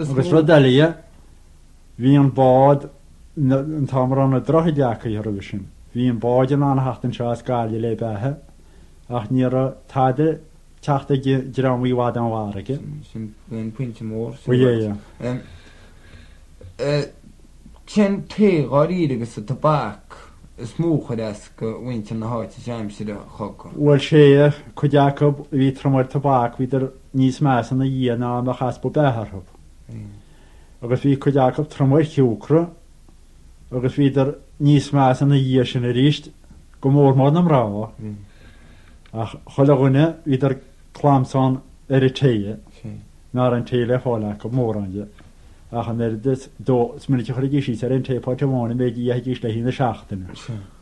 Agus rud eile dhe, bhí an bád, an t-am a raibh na droichid leagtha roimhe sin, bhí an bád in ann a theacht anseo as Gaillimh le beatha, ach ní raibh tada teacht ag dream i bhfad ón bhfarraige. Sin an pointe mór. Ó yeah, yeah. Cén tae dháiríre agus an tobac is mó a chuir as go mhuintir na háite seo aimsir an chogaidh? Bhuel sea, cuid acu a bhí trom ar tobac, bhíodar níos measa ina dhiaidh ná a mbeadh easpa beatha orthu. Agus bhí cuid acu trom ar shiúcra agus bhíodar níos measa ina dhiaidh sin arís, go mór mór na mná. Ach chuile dhuine, bhíodar clamhsán ar an tae, ná raibh an tae le fáil acu, mórán de. Ach an oiread is, is minic a chuiridís síos ar aon taepot amháin an méid a itheidís le haghaidh na seachtaine.